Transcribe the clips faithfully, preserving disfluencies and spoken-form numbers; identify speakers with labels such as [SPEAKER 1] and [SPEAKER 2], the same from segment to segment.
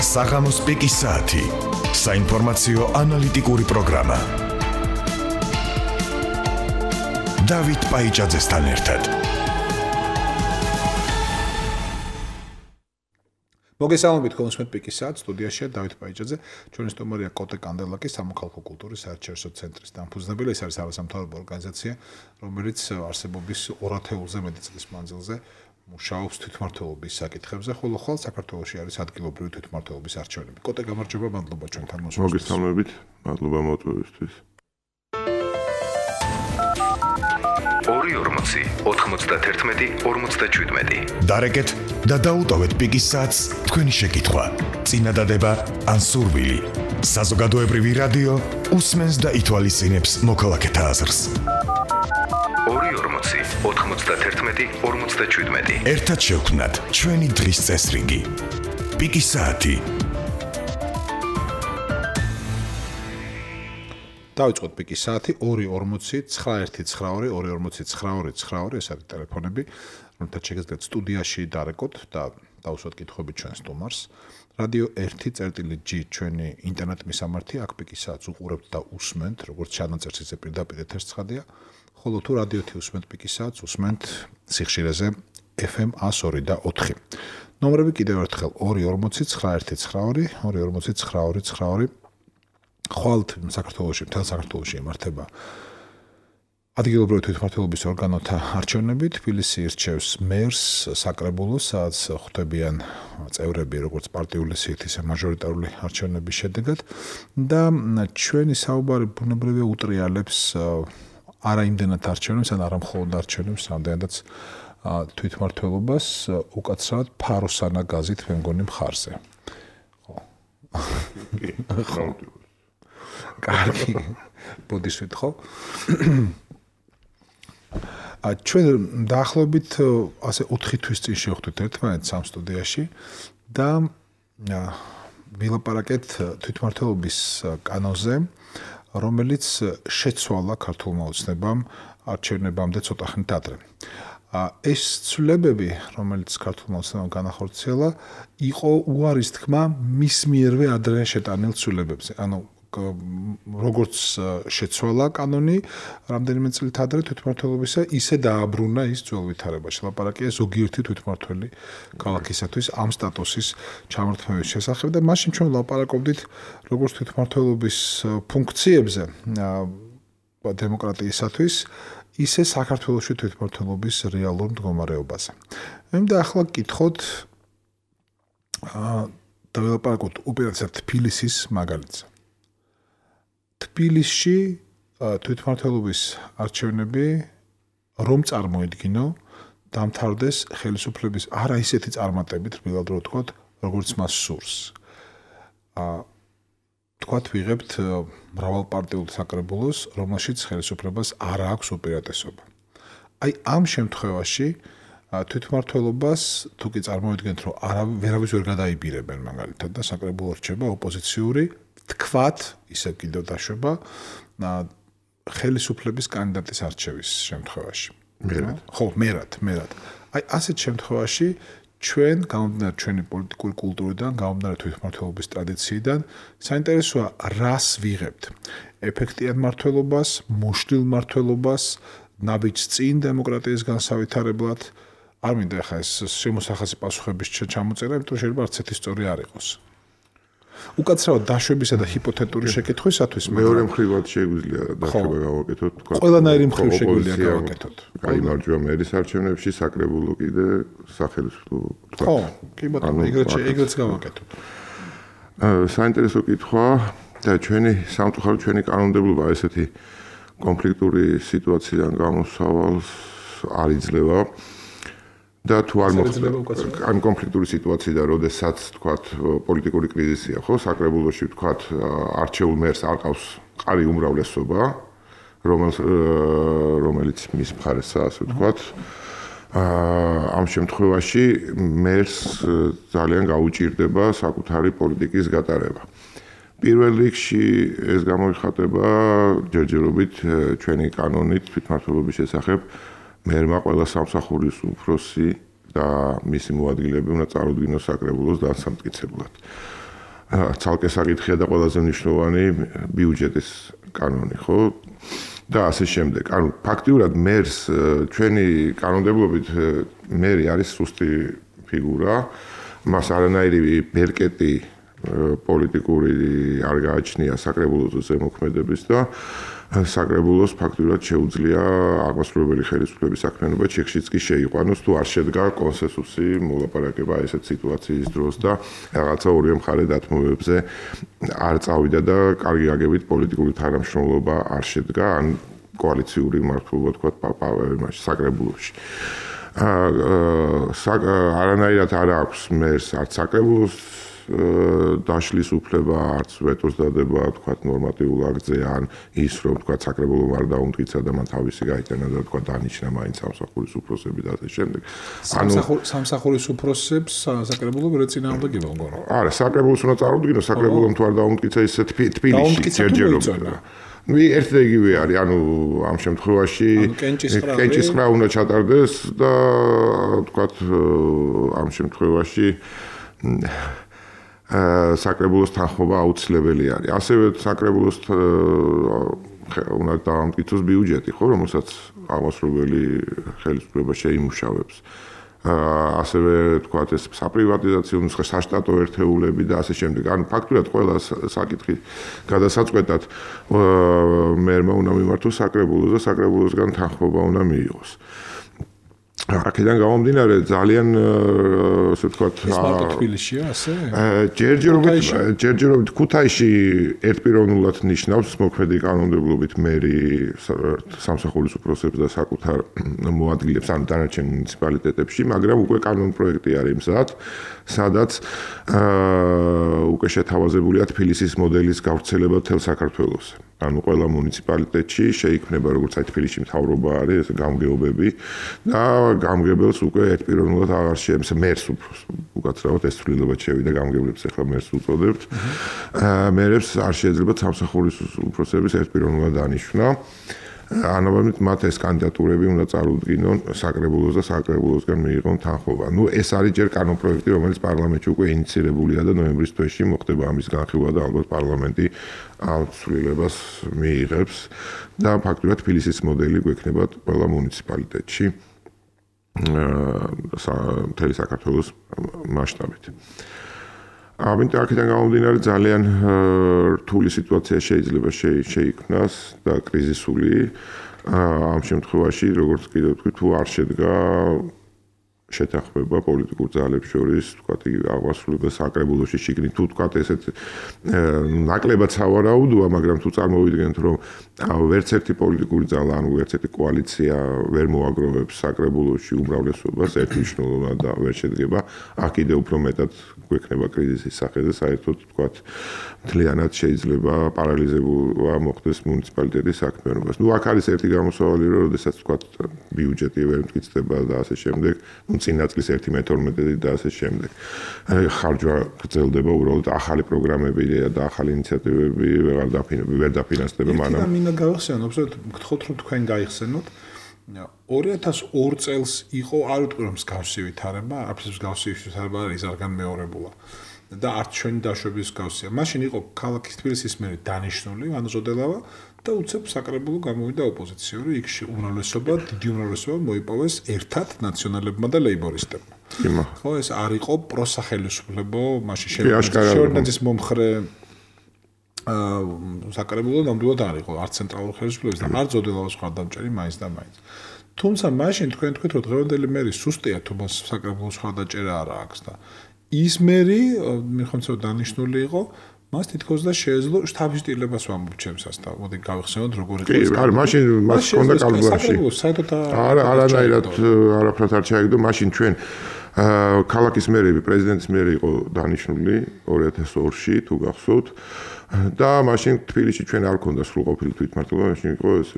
[SPEAKER 1] საღამოს პიკის საათი. საინფორმაციო ანალიტიკური პროგრამა. დავით პაიჭაძესთან ერთად.
[SPEAKER 2] მოგესალმებით კონსუმენტ პიკის საათს, სტუდიაშია დავით პაიჭაძე, ჩვენი სტუმარია კოტე კანდელაკი, სამოქალაქო კულტურის საერთაშორისო ცენტრის დამფუძნებელი. ეს არის არასამთავრობო ორგანიზაცია, რომელიც არსებობის ორ ათეულზე მეტი წლის მანძილზე მუშაობს თვითმმართველობის საკითხებზე, ხოლო ხვალ საქართველოში არის ადგილობრივი თვითმმართველობის არჩევნები. კოტე, გამარჯობა, მადლობა ჩვენთან მოსვლისთვის.
[SPEAKER 3] მოგესალმებით, მადლობა მოწვევისთვის.
[SPEAKER 4] ორი ორმოცი, ოთხმოცდაათერთმეტი, ორმოცდაჩვიდმეტი.
[SPEAKER 1] დარეკეთ და დაუტოვეთ პიკის საათს თქვენი შეკითხვა. წინადადება ან სურვილი. საზოგადოებრივი რადიო უსმენს და ითვალისწინებს მოქალაქეთა აზრს.
[SPEAKER 4] ორი ორმოცი, ოთხმოცდაათერთმეტი, ორმოცდაჩვიდმეტი.
[SPEAKER 1] ერთად შევქმნათ ჩვენი დღის წესრიგი. პიკის საათი.
[SPEAKER 2] დავიწყოთ პიკის საათი ორი ორმოცი, ცხრა ერთი ცხრა ორი, ორი ორმოცი, ცხრა ორი, ცხრა ორი, ეს არის ტელეფონები, რომელთაც შეგიძლიათ სტუდიაში დარეკოთ და დავუსვათ კითხვები ჩვენ სტუმარს. რადიო ერთი G ჩვენი ინტერნეტ მისამართი, აქ პიკის საათს უყურებთ და უსმენთ, როგორც ჩანაწერს ისე პირდაპირ ეთერს ცხადია. ხოლო თუ რადიო ერთი უსმენთ პიკის საათს, უსმენთ სიხშირეზე F M one oh two და ოთხი. ნომრები კიდევ ერთხელ ორი ორმოცი, ცხრა ერთი ცხრა ორი, ორი ორმოცი, ცხრა ორი, ცხრა ორი. ხვალ საქართველოში, მთელ საქართველოში იმართება ადგილობრივი თვითმმართველობის ორგანოთა არჩევნები. თბილისი ირჩევს მერს, საკრებულოს, სადაც ხვდებიან წევრები როგორც პარტიული სიით, ისე მაჟორიტარული არჩევნების შედეგად და ჩვენი საუბარი ბუნებრივია უტრიალებს არა იმდენად არჩევნებს, ან არა მხოლოდ არჩევნებს, რამდენადაც თვითმმართველობას უკაცრავად ფაროსანა გაზით მე მგონი მხარზე. ხო. კარგი. ბოდისვით ხო? ა ჩვენ დაახლოებით ასე ოთხი თვის წინ შევხვდით ერთმანეთს ამ სტუდიაში და ვილაპარაკეთ თვითმმართველობის კანონზე, რომელიც შეცვალა ქართულმა ოცნებამ არჩევნებამდე ცოტა ხნით ადრე. ეს ცვლილებები, რომელიც ქართულმა ოცნებამ განახორციელა, იყო უარის თქმა მის მიერვე ადრე შეტანილ ცვლილებებზე. ანუ როგორც შეცვალა კანონი რამდენიმე წლით ადრე თვითმმართველობისა, ისე დააბრუნა ის ძველ ვითარებაში. ლაპარაკია ზოგიერთი თვითმმართველი ქალაქისათვის ამ სტატუსის ჩამორთმევის შესახებ და მაშინ ჩვენ ლაპარაკობდით როგორც თვითმმართველობის ფუნქციებზე დემოკრატიისათვის, ისე საქართველოში თვითმმართველობის რეალურ მდგომარეობაზე. ემდა ახლა გკითხოთ და ვილაპარაკოთ უპირატესად თბილისის მაგალითზე. თბილისში თვითმმართველობის არჩევნები რომ წარმოედგინო, დამთავრდეს ხელისუფლების არა ისეთი წარმატებით, რბილად რო ვთქვათ, როგორც მას სურს. აა თქვათ ვიღებთ მრავალპარტიულ საკრებულოს, რომელშიც ხელისუფლებას არ აქვს უპირატესობა. აი ამ შემთხვევაში თვითმმართველობას თუ კი წარმოედგენთ, რომ არა ვერავის ვერ გადაიბირებენ მაგალითად და საკრებულო რჩება ოპოზიციური, თქვათ, ისევ კიდევ დაშვება ხელისუფლების კანდიდატის არჩევის შემთხვევაში.
[SPEAKER 3] მერად.
[SPEAKER 2] ხო, მერად, მერად. აი ასეთ შემთხვევაში ჩვენ გამომდინარე ჩვენი პოლიტიკური კულტურიდან, გამომდინარე თვითმმართველობის ტრადიციიდან, საინტერესოა რას ვიღებთ. ეფექტიან მმართველობას, მოშლილ მმართველობას, ნაბიჯს წინ დემოკრატიის განსავითარებლად. არ მინდა ახლა ეს შემოსახაზი პასუხების ჩამოწერა, იმიტომ რომ შეიძლება არც ერთი სწორი არ იყოს. უკაცრავად დაშვებისა და ჰიპოთეტური შეკითხვისათვის
[SPEAKER 3] მეორე მხრივად შეგვიძლია დაშვება გავაკეთოთ, თქვა.
[SPEAKER 2] ყველანაირი მხრივ შეგვიძლია გავაკეთოთ.
[SPEAKER 3] გაიმარჯვა მერის არჩევნებში, საკრებულო კიდე სახელმწიფო, თქვა.
[SPEAKER 2] ხო, კი ბატონო, ეგრეთ ეგრეც გავაკეთოთ.
[SPEAKER 3] საინტერესო კითხვა და ჩვენი სამწუხაროდ ჩვენი კანონმდებლობა ესეთი კონფლიქტური სიტუაციიდან გამოსავალს არ იძლევა. და თუ არ მოხდება ამ კონფლიქტური სიტუაციიდან, როდესაც თქვათ პოლიტიკური კრიზისია, ხო, საკრებულოში თქვათ არჩეულ მერს არ ყავს ყარი უმრავლესობა, რომელიც რომელიც მის მხარესაც, ასე ვთქვათ. ამ შემთხვევაში მერს ძალიან გაუჭირდება საკუთარი პოლიტიკის გატარება. პირველ რიგში ეს გამოიხატება ჯერჯერობით ჩვენი კანონით თვითმმართველობის შესახებ მერმა ყველა სამსახურის უფროსი და მისი მოადგილეები უნდა წარუდგინოს საკრებულოს დასამტკიცებლად. ცალკე საკითხია და ყველაზე მნიშვნელოვანი ბიუჯეტის კანონი, ხო? და ასე შემდეგ. ანუ ფაქტიურად მერს ჩვენი კანონმდებლობით მერი არის სუსტი ფიგურა. მას არანაირი ბერკეტი პოლიტიკური არ გააჩნია საკრებულოზე ზემოქმედების და საკრებულოს ფაქტურად შეუძლია აღმასრულებელი ხელისუფლების საქმიანობა ჩიხშიც კი შეიყვანოს თუ არ შედგა კონსენსუსი მოლაპარაკება ესეთ სიტუაციის დროს და რაღაცა ორივე მხარე დათმობებზე არ წავიდა და კარგი აგებით პოლიტიკური თანამშრომლობა არ შედგა ან კოალიციური მართლობა თქვა მაშინ საკრებულოში. არანაირად არ აქვს მერს არც საკრებულოს დაშლის უფლება, არც ვეტოს დადება, თქვა ნორმატიულ აქტზე ან ის რომ თქვა საკრებულომ არ დაუმტკიცა და მან თავისი გაიტანა და თქვა დანიშნა მაინც სამსახურის უფროსები და ასე შემდეგ.
[SPEAKER 2] ანუ სამსახურის უფროსებს საკრებულო ვერ ეწინააღმდეგება მგონი.
[SPEAKER 3] არა, საკრებულოს უნდა წარუდგინოს, საკრებულომ თუ არ დაუმტკიცა ისე თბილისში ჯერჯერობით. ნუ ერთ და იგივე არის, ანუ ამ შემთხვევაში კენჭისყრა უნდა ჩატარდეს და თქვა ამ შემთხვევაში საკრებულოს თანხმობა აუცილებელი არის. ასევე საკრებულოს უნდა დაამტკიცოს ბიუჯეტი, ხო, რომელსაც აღმასრულებელი ხელისუფლება შეიმუშავებს. ასევე თქვა ეს საპრივატიზაციო ნუსხა, საშტატო ერთეულები და ასე შემდეგ. ანუ ფაქტურად ყველა საკითხი გადასაწყვეტად მერმა უნდა მიმართოს საკრებულოს და საკრებულოსგან თანხმობა უნდა მიიღოს. აქედან გამომდინარე ძალიან ასე ვთქვათ
[SPEAKER 2] თბილისშია ასე?
[SPEAKER 3] ჯერჯერობით ჯერჯერობით ქუთაისში ერთპიროვნულად ნიშნავს მოქმედი კანონმდებლობით მერი სამსახურის უფროსებს და საკუთარ მოადგილებს ან დანარჩენ მუნიციპალიტეტებში, მაგრამ უკვე კანონ პროექტი არის მზად, სადაც უკვე შეთავაზებულია თბილისის მოდელის გავრცელება მთელ საქართველოში. ანუ ყველა მუნიციპალიტეტში შეიქმნება როგორც აი თბილისში მთავრობა არის, ეს გამგეობები და გამგებელს უკვე ერთპიროვნულად აღარ შეემს მერს უკაცრავად ეს ცვლილება შევიდა გამგებლებს ახლა მერს უწოდებთ. მერებს არ შეიძლება სამსახურის უფროსების ერთპიროვნულად დანიშნა. ანაბამით მათ ეს კანდიდატურები უნდა წარუდგინონ საკრებულოს და საკრებულოსგან მიიღონ თანხმობა. ნუ ეს არის ჯერ კანონპროექტი, რომელიც პარლამენტში უკვე ინიცირებულია და ნოემბრის თვეში მოხდება ამის განხილვა და ალბათ პარლამენტი ამ ცვლილებას მიიღებს და ფაქტურად თბილისის მოდელი გვექნება ყველა მუნიციპალიტეტში მთელი საქართველოს მასშტაბით. ამიტომ აქედან გამომდინარე ძალიან რთული სიტუაცია შეიძლება შეიქმნას და კრიზისული. ამ შემთხვევაში როგორც კიდევ ვთქვი, თუ არ შედგა შეთანხმება პოლიტიკურ ძალებს შორის, თქვათ აღმასრულებელ საკრებულოში შიგნით თუ თქვათ ესეთ ნაკლებად სავარაუდოა, მაგრამ თუ წარმოვიდგენთ რომ ვერც ერთი პოლიტიკური ძალა, ანუ ვერც ერთი კოალიცია ვერ მოაგროვებს საკრებულოში უმრავლესობას ერთმნიშვნელოვნად და ვერ შედგება, აქ კიდევ უფრო მეტად გვექნება კრიზისის სახე და საერთოდ თქვათ მთლიანად შეიძლება პარალიზება მოხდეს მუნიციპალიტეტის საქმიანობას. ნუ აქ არის ერთი გამოსავალი, რომ შესაძაც თქვათ ბიუჯეტი ვერ მტკიცდება და ასე შემდეგ, ნუ წინა წლის ერთი მეთორმეტე და ასე შემდეგ. ხარჯვა გრძელდება უბრალოდ ახალი პროგრამები და ახალი ინიციატივები ვერ დაფინანსდება მანამ.
[SPEAKER 2] და მინდა გავახსენოთ, გთხოვთ რომ თქვენ გაიხსენოთ. ორი ათას ორ წელს იყო არ ვიტყვი რომ მსგავსი ვითარება, არც მსგავსი ვითარება არის არ განმეორებულა. და არც ჩვენი დაშვების მსგავსია. მაშინ იყო ქალაქის თბილისის მერი დანიშნული, ანუ ზოდელავა და უცებ საკრებულო გამოვიდა ოპოზიციური, იქ უმრავლესობა, დიდი უმრავლესობა მოიპოვეს ერთად ნაციონალებმა და ლეიბორისტებმა. ხო, ეს არ იყო პროსახელისუფლებო, მაშინ შევარდნაძის მომხრე აა საკრებულო ნამდვილად არ იყო, არც ცენტრალურ ხელისუფლებას და არც ზოდელავას მხარდამჭერი მაინც და მაინც. თუმცა მაშინ თქვენ თქვით რომ დღევანდელი მერი სუსტია თუ მას საკრებულოს მხარდაჭერა არ აქვს და ის მერი მიხონცო დანიშნული იყო მას თითქოს და შეეძლო შტაბის ტილებას ვამბობ ჩემსას და მოდი გავიხსენოთ როგორი იყო.
[SPEAKER 3] კი, არა, მაშინ მას ჰქონდა კალკულაში. არა, არანაირად არაფრად არ ჩაიგდო, მაშინ ჩვენ ქალაქის მერები, პრეზიდენტის მერი იყო დანიშნული ორი ათას ორში, თუ გახსოვთ. და მაშინ თბილისში ჩვენ არ ქონდა სრულყოფილი თვითმმართველობა, მაშინ იყო ეს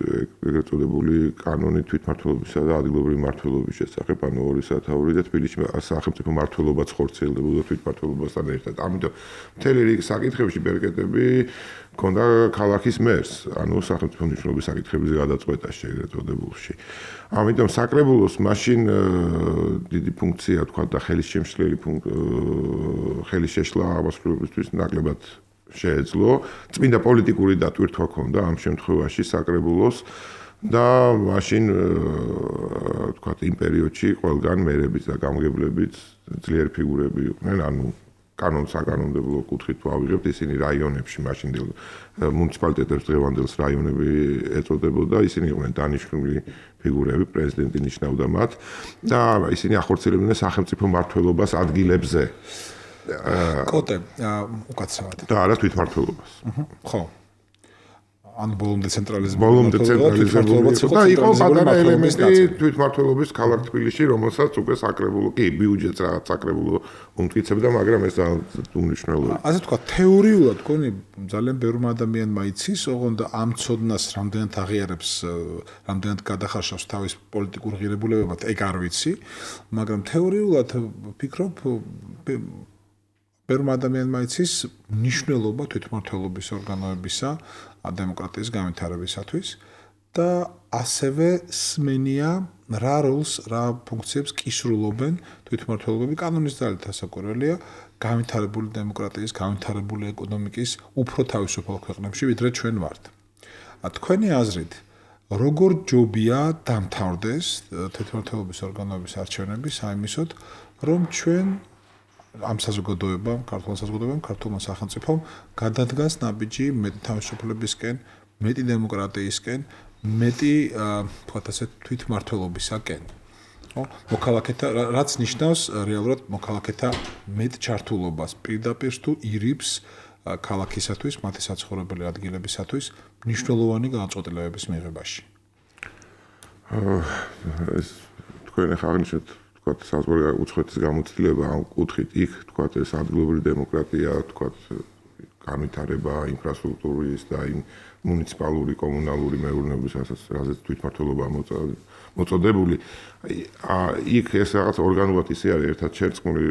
[SPEAKER 3] ეგრეთ წოდებული კანონი თვითმმართველობისა და ადგილობრივი მმართველობის შესახებ, ანუ ორი სათაური და თბილისში სახელმწიფო მმართველობაც ხორციელდებოდა თვითმმართველობასთან ერთად. ამიტომ მთელი რიგი საკითხებში ბერკეტები ქონდა ქალაქის მერს, ანუ სახელმწიფო მნიშვნელობის საკითხებზე გადაწყვეტა ეგრეთ წოდებულში. ამიტომ საკრებულოს მაშინ დიდი ფუნქცია თქვა და ხელის შემშლელი ხელის შეშლა აღმასრულებისთვის ნაკლებად შეეძლო. წმინდა პოლიტიკური დატვირთვა ქონდა ამ შემთხვევაში საკრებულოს და მაშინ თქვა იმ პერიოდში ყველგან მერებიც და გამგებლებიც ძლიერი ფიგურები იყვნენ, ანუ კანონ-საკანონმდებლო კუთხით ვავიღებთ, ისინი რაიონებში მაშინდელ მუნიციპალიტეტებს დღევანდელს რაიონები ეწოდებოდა, ისინი იყვნენ დანიშნული ფიგურები, პრეზიდენტი ნიშნავდა მათ და ისინი ახორციელებდნენ სახელმწიფო მმართველობას ადგილებზე.
[SPEAKER 2] კოტე, უკაცრავად.
[SPEAKER 3] და არა თვითმმართველობას.
[SPEAKER 2] ხო. ან ბოლომდე ცენტრალიზმი
[SPEAKER 3] ბოლომდე ცენტრალიზმი და იყო პატარა ელემენტი თვითმმართველობის ქალაქ თბილისში, რომელსაც უკვე საკრებულო კი ბიუჯეტს რაღაც საკრებულო უმტკიცებდა, მაგრამ ეს უმნიშვნელოა.
[SPEAKER 2] ასე თქვა, თეორიულად გონი ძალიან ბევრმა ადამიანმა იცის, ოღონდ ამ ცოდნას რამდენად აღიარებს, რამდენად გადახარშავს თავის პოლიტიკურ ღირებულებებად, ეგ არ ვიცი, მაგრამ თეორიულად ვფიქრობ ბევრმა ადამიანმა იცის მნიშვნელობა თვითმმართველობის ორგანოებისა დემოკრატიის განვითარებისათვის და ასევე სმენია რა როლს, რა ფუნქციებს კისრულობენ თვითმმართველობები კანონის ძალით ასაკურველია განვითარებული დემოკრატიის, განვითარებული ეკონომიკის უფრო თავისუფალ ქვეყნებში, ვიდრე ჩვენ ვართ. თქვენი აზრით, როგორ ჯობია დამთავრდეს თვითმმართველობის ორგანოების არჩევნები საიმისოდ, რომ ჩვენ ამ საზოგადოებამ, ქართულ საზოგადოებამ, ქართულმა სახელმწიფომ გადადგას ნაბიჯი მეტი თავისუფლებისკენ, მეტი დემოკრატიისკენ, მეტი, თქვათ ასე, თვითმმართველობისაკენ. ხო? მოქალაქეთა, რაც ნიშნავს რეალურად მოქალაქეთა მეტ ჩართულობას პირდაპირ თუ ირიბს ქალაქისათვის, მათი საცხოვრებელი ადგილებისათვის მნიშვნელოვანი განწყობილების მიღებაში.
[SPEAKER 3] ეს თქვენ ახლა აღნიშნეთ თქვათ საზღვარი უცხოეთის გამოცდილება ამ კუთხით იქ თქვათ ეს ადგილობრივი დემოკრატია თქვათ განვითარება ინფრასტრუქტურის და იმ მუნიციპალური კომუნალური მეურნეობის ასეც თვითმმართველობა მოწოდებული იქ ეს რაღაც ორგანულად ისე არის ერთად შერწყმული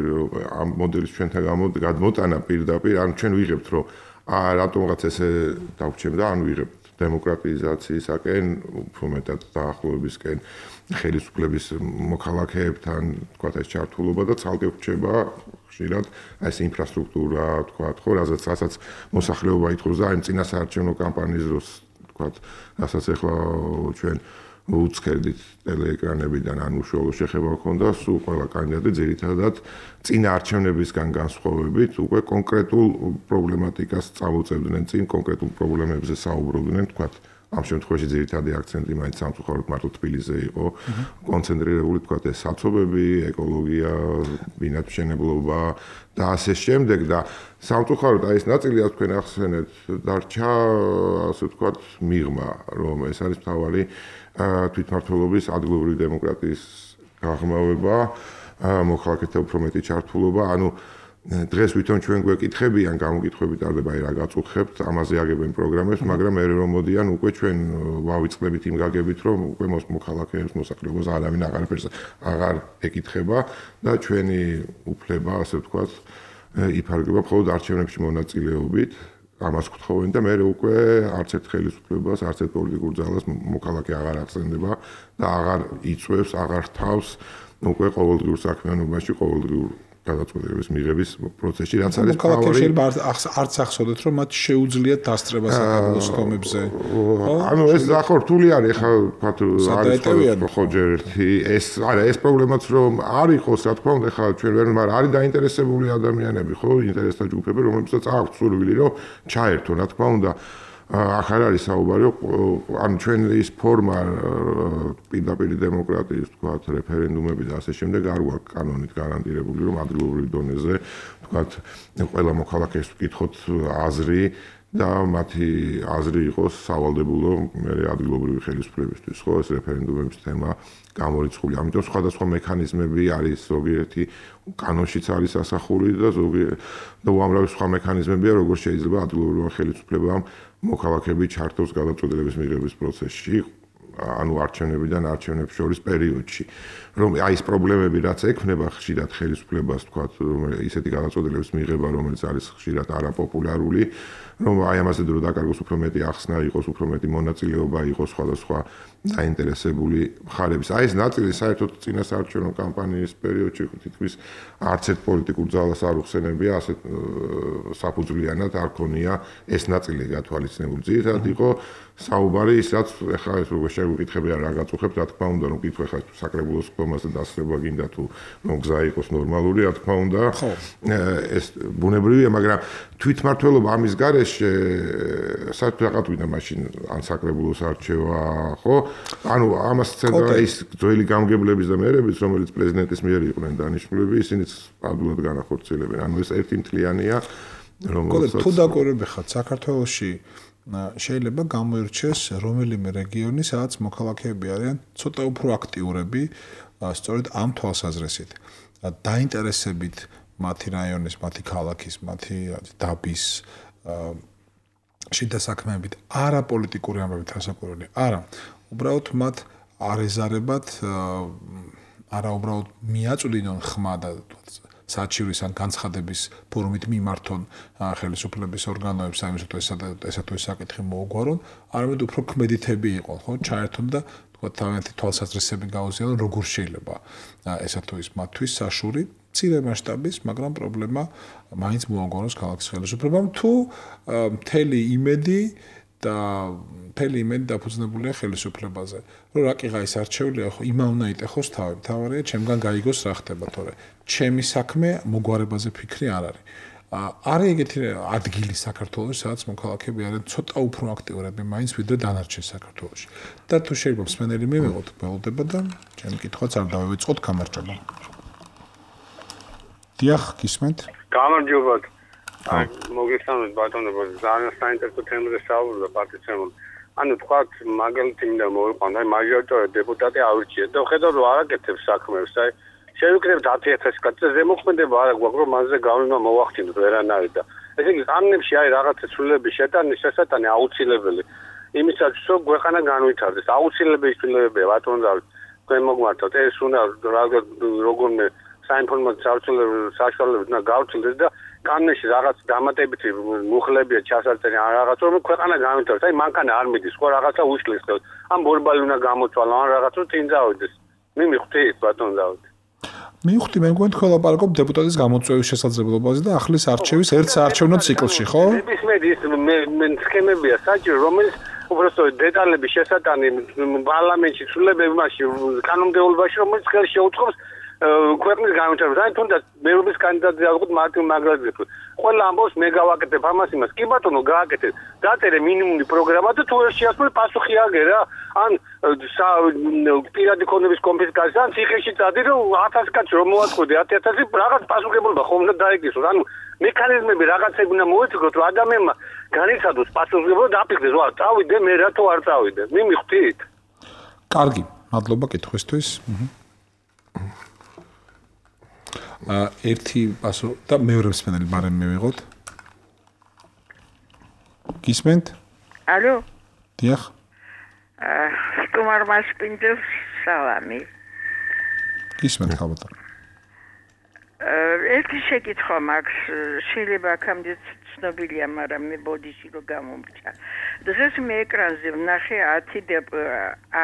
[SPEAKER 3] ამ მოდელის ჩვენთან გადმოტანა პირდაპირ ან ჩვენ ვიღებთ რომ რატომღაც ესე დავჩემდა ან ვიღებთ დემოკრატიზაციისაკენ უფრო მეტად დაახლოებისკენ ხელისუფლების მოქალაქეებთან თქვათ ეს ჩართულობა და ცალკე რჩება ხშირად ეს ინფრასტრუქტურა თქვათ ხო რასაც რასაც მოსახლეობა ითხოვს და აი წინა საარჩევნო კამპანიის დროს თქვათ რასაც ახლა ჩვენ უცხერდით ტელეეკრანებიდან ან უშუალო შეხება ჰქონდა სულ ყველა კანდიდატი ძირითადად წინა არჩევნებისგან განსხვავებით უკვე კონკრეტულ პრობლემატიკას წამოწევდნენ წინ კონკრეტულ პრობლემებზე საუბრობდნენ თქვათ ამ შემთხვევაში ძირითადი აქცენტი მაინც სამწუხაროდ მარტო თბილისზე იყო კონცენტრირებული თქვათ ეს საცობები, ეკოლოგია, ბინადმშენებლობა და ასე შემდეგ და სამწუხაროდ აი ეს ნაწილი აქ თქვენ ახსენეთ დარჩა ასე თქვათ მიღმა რომ ეს არის მთავარი თვითმმართველობის ადგილობრივი დემოკრატიის გაღრმავება, მოქალაქეთა უფრო მეტი ჩართულობა, ანუ დღეს ვითომ ჩვენ გვეკითხებიან, გამოკითხები ტარდება, აი რა გაწუხებთ, ამაზე აგებენ პროგრამებს, მაგრამ მე რომ მოდიან უკვე ჩვენ ვავიწყდებით იმ გაგებით, რომ უკვე მოქალაქეებს მოსახლეობას არავინ აღარაფერს აღარ ეკითხება და ჩვენი უფლება, ასე ვთქვათ, იფარგლება მხოლოდ არჩევნებში მონაწილეობით. ამას გთხოვენ და მე უკვე არც ერთ ხელისუფლებას, არც ერთ პოლიტიკურ ძალას მოქალაქე აღარ ახსენდება და აღარ იწვევს, აღარ თავს უკვე ყოველდღიურ საქმიანობაში, ყოველდღიურ გადაწყვეტილების მიღების პროცესში, რაც არის
[SPEAKER 2] მოქალაქეებს შეიძლება არც ახსოვდეთ, რომ მათ შეუძლიათ დასწრება საკაბელოს თომებზე.
[SPEAKER 3] ანუ ეს ახლა რთული არის, ახლა ვთქვათ, არის ხო ჯერ ერთი ეს არა ეს პრობლემაც რომ არ იყოს, რა თქმა უნდა, ახლა ჩვენ ვერ მაგრამ არის დაინტერესებული ადამიანები, ხო, ინტერესთა ჯგუფები, რომლებსაც აქვს სურვილი, რომ ჩაერთონ, რა თქმა უნდა. ახ არ არის საუბარი, ანუ ჩვენ ის ფორმა პირდაპირ დემოკრატიის, თქვათ, რეფერენდუმები და ასე შემდეგ არ გვაქვს კანონით გარანტირებული, რომ ადგილობრივ დონეზე, თქვათ, ყველა მოქალაქეს ვკითხოთ აზრი და მათი აზრი იყოს სავალდებულო მე ადგილობრივი ხელისუფლებისთვის, ხო, ეს რეფერენდუმების თემა გამორიცხული. ამიტომ სხვადასხვა მექანიზმები არის, ზოგიერთი კანონშიც არის ასახული და ზოგიერთი და უამრავი სხვა მექანიზმებია, როგორ შეიძლება ადგილობრივ ხელისუფლებამ მოქალაქეები ჩართოს გადაწყვეტილების მიღების პროცესში. ანუ არჩევნებიდან არჩევნებს შორის პერიოდში. რომ აი ეს პრობლემები რაც ექმნება ხშირად ხელისუფლებას თქვა ისეთი გადაწყვეტილების მიღება რომელიც არის ხშირად არაპოპულარული რომ აი ამაზე დრო დაკარგოს უფრო მეტი ახსნა იყოს უფრო მეტი მონაწილეობა იყოს სხვადასხვა დაინტერესებული მხარების. აი ეს ნაწილი საერთოდ წინასაარჩევნო კამპანიის პერიოდში თითქმის არც ერთ პოლიტიკურ ძალას არ უხსენებია ასეთ საფუძვლიანად არ ქონია ეს ნაწილი გათვალისწინებული. ძირითადად იყო საუბარი ის რაც ეხლა ეს როგორ შეგვიკითხებია რა გაწუხებთ რა თქმა უნდა რომ კითხვა ეხლა საკრებულოს კომაზე დასწრება გინდა თუ რომ გზა იყოს ნორმალური რა თქმა უნდა ეს ბუნებრივია მაგრამ თვითმმართველობა ამის გარეშე საერთოდ რაღაც ვიდა მაშინ ან საკრებულოს არჩევა ხო ანუ ამას ცენდა ის ძველი გამგებლების და მერების რომელიც პრეზიდენტის მიერ იყვნენ დანიშნულები ისინიც ადვილად განახორციელებენ ანუ ეს ერთიმთლიანია
[SPEAKER 2] რომელიც თუ დაკვირვები ხართ საქართველოში შეიძლება გამოირჩეს რომელიმე რეგიონი სადაც მოქალაქეები არიან ცოტა უფრო აქტიურები სწორედ ამ თვალსაზრისით დაინტერესებით მათი რაიონის, მათი ქალაქის, მათი დაბის შიდა საქმეებით არა პოლიტიკური ამბებით ასაკურველი არა უბრალოდ მათ არეზარებად არა უბრალოდ მიაწვდინონ ხმა და საჩივრის ან განცხადების ფორმით მიმართონ ხელისუფლების ორგანოებს ამისათვის ესა თუ ეს საკითხი მოუგვარონ, არამედ უფრო ქმედითები იყონ, ხო, ჩაერთონ და თქვა თავიანთი თვალსაზრისები გაუზიარონ, როგორ შეიძლება ესა თუ ის მათთვის საშური, მცირე მასშტაბის, მაგრამ პრობლემა მაინც მოუგვაროს ქალაქის ხელისუფლებამ თუ მთელი იმედი და მთელი იმედი დაფუძნებულია ხელისუფლებაზე. რომ რაკიღა ის არჩევლია, ხო, იმა უნდა იტეხოს თავი. თავარია, ჩემგან გაიგოს რა ხდება, თორე ჩემი საქმე მოგვარებაზე ფიქრი არ არის. არის ეგეთი ადგილი საქართველოს, სადაც მოქალაქეები არიან ცოტა უფრო აქტიურები, მაინც ვიდრე დანარჩენ საქართველოში. და თუ შეიძლება მსმენელი მივიღოთ, გველოდება და ჩემი კითხვაც არ დავივიწყოთ, გამარჯობა. დიახ, გისმენთ?
[SPEAKER 5] გამარჯობათ. აი, მოგესალმებით ბატონებო, ძალიან საინტერესო თემაზე საუბრობ პარტიცემულ. ანუ თქვა მაგალითი მინდა მოვიყვანო, აი მაჟორიტარი დეპუტატი ავირჩიეთ და ხედავ რომ არაკეთებს საქმეს, აი შევიკრებთ ათი ათასი კაცზე ზემოქმედება არა გვაქვს რომ მასზე გავლენა მოვახდინოთ ვერანაირ და ესე იგი კანონებში აი რაღაცა ცვლილების შეტანის შესატანი აუცილებელი იმისაც რომ გვეყანა განვითარდეს აუცილებელი ცვლილებებია ბატონო თქვენ მოგმართოთ ეს უნდა როგორმე საინფორმაციო საშუალებებით უნდა გავცილდეს და კანონებში რაღაც დამატებითი მუხლებია ჩასაწერი ან რაღაც რომ ქვეყანა განვითარდეს აი მანქანა არ მიდის ხო რაღაცა უშლის ხელს ამ ბორბალი უნდა გამოცვალო ან რაღაც რომ წინ წავიდეს მიმიხვდით ბატონო დავით
[SPEAKER 2] მივხვდი მე მგონი თქვენ ლაპარაკობთ დეპუტატის გამოწვევის შესაძლებლობაზე და ახლის არჩევის ერთ საარჩევნო ციკლში, ხო?
[SPEAKER 5] ნებისმიერ ის მე სქემებია საჭირო, რომელიც უბრალოდ დეტალების შესატანი პარლამენტში ცვლილებები მასში კანონმდებლობაში, რომელიც ხელს შეუწყობს ქვეყნის განვითარებას. აი თუნდაც მერობის კანდიდატი ავიღოთ მარტინ მაგრაძეს. ყველა ამბობს მე გავაკეთებ ამას იმას. კი ბატონო, გააკეთეთ. დაწერე მინიმუმი პროგრამა და თუ ეს შეასრულე პასუხი აგერა. ან პირადი ქონების კონფისკაცია, ან ციხეში წადი რომ ათასი კაცი რომ მოაწყოდი ათი ათასი რაღაც პასუხებულობა ხომ უნდა დაიგისოს. ანუ მექანიზმები რაღაცები უნდა მოიწოდოთ, რომ ადამიანმა განიცადოს პასუხისმგებლობა და აფიქრდეს, ვა, წავიდე მე რატო არ წავიდე. მიმიხვდით?
[SPEAKER 2] კარგი, მადლობა კითხვისთვის. ერთი პასო და მეორე მსმენელი მარემ მივიღოთ. გისმენთ?
[SPEAKER 6] ალო?
[SPEAKER 2] დიახ.
[SPEAKER 6] აა, სტუმარ მასპინძელს სალამი.
[SPEAKER 2] გისმენთ ხალხო.
[SPEAKER 6] აა, ერთი შეკითხვა მაქვს, შეიძლება აქამდე ცნობილია, მაგრამ მე ბოდიში რო გამომრჩა. დღეს მე ეკრანზე ვნახე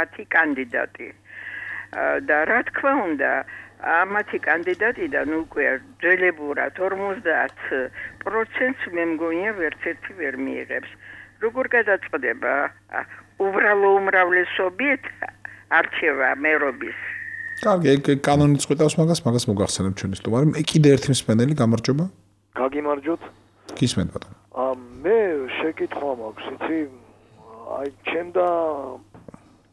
[SPEAKER 6] ათი კანდიდატი. და რა თქმა უნდა ამათი კანდიდატიდან უკვე ძველებურად ორმოცდაათ პროცენტს მე მგონია ვერც ერთი ვერ მიიღებს. როგორ გადაწყდება უბრალო უმრავლესობით არჩევა მერობის?
[SPEAKER 2] კარგი, ეგ კანონიც ყვიტავს მაგას, მაგას მოგახსენებ ჩვენი სტუმარი. მე კიდე ერთი მსმენელი, გამარჯობა.
[SPEAKER 7] გაგიმარჯოთ.
[SPEAKER 2] გისმენთ ბატონო.
[SPEAKER 7] აა მე შეკითხვა მაქვს, იცი? აი ჩემდა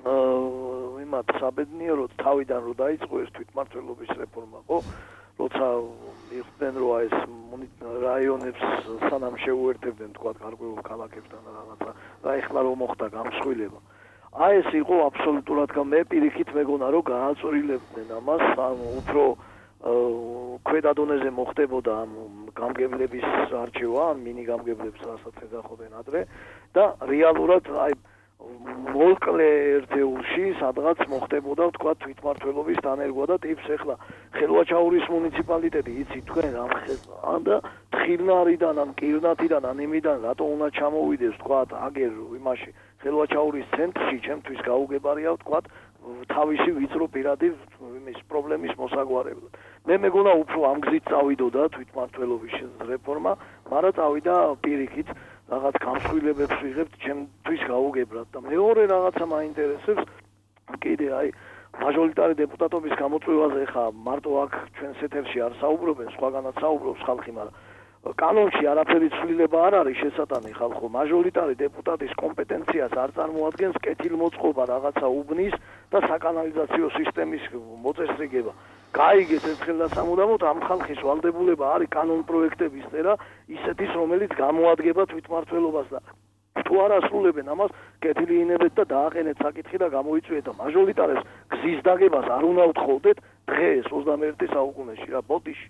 [SPEAKER 7] აა იმათ საბედნიეროდ თავიდან რო დაიწყო ეს თვითმმართველობის რეფორმა, ხო? როცა მიხდნენ რომ ეს რაიონებს სანამ შეუერთებდნენ თქვა გარკვეულ ქალაქებთან რაღაცა და ეხლა რომ მოხდა გამსხვილება. აი ეს იყო აბსოლუტურად მე პირიქით მეგონა რომ გააწვრილებდნენ ამას, ანუ უფრო ქვედა დონეზე მოხდებოდა ამ გამგებლების არჩევა, მინი გამგებლებს რასაც ეძახობენ ადრე და რეალურად აი მოკლე ერთეულში სადღაც მოხდებოდა თქვა თვითმმართველობის დანერგვა და ტიპს ახლა ხელვაჩაურის მუნიციპალიტეტი იცი თქვენ ამ და თხილნარიდან ან კირნათიდან ან იმიდან რატო უნდა ჩამოვიდეს თქვა აგერ იმაში ხელვაჩაურის ცენტრში ჩემთვის გაუგებარია თქვა თავისი ვიწრო პირადი იმის პრობლემის მოსაგვარებლად. მე მეგონა უფრო ამ გზით წავიდოდა თვითმმართველობის რეფორმა, მაგრამ წავიდა პირიქით რაღაც გამსხვილებებს ვიღებთ ჩემთვის გაუგებრად და მეორე რაღაცა მაინტერესებს კიდე აი მაჟორიტარი დეპუტატობის გამოწვევაზე ხა მარტო აქ ჩვენს ეთერში არ საუბრობენ, სხვაგანაც საუბრობს ხალხი, მაგრამ კანონში არაფერი ცვლილება არ არის შესატანი ხალხო. მაჟორიტარი დეპუტატის კომპეტენციას არ წარმოადგენს კეთილმოწყობა რაღაცა უბნის და საკანალიზაციო სისტემის მოწესრიგება. გაიგეთ ერთხელ და სამუდამოდ ამ ხალხის ვალდებულება არის კანონ პროექტების წერა ისეთის, რომელიც გამოადგება თვითმმართველობას და თუ არ ასრულებენ ამას, კეთილი ინებეთ და დააყენეთ საკითხი და გამოიწვიეთ და მაჟორიტარებს გზის დაგებას არ უნდა უთხოვდეთ დღეს ოცდამეერთე საუკუნეში რა ბოდიში.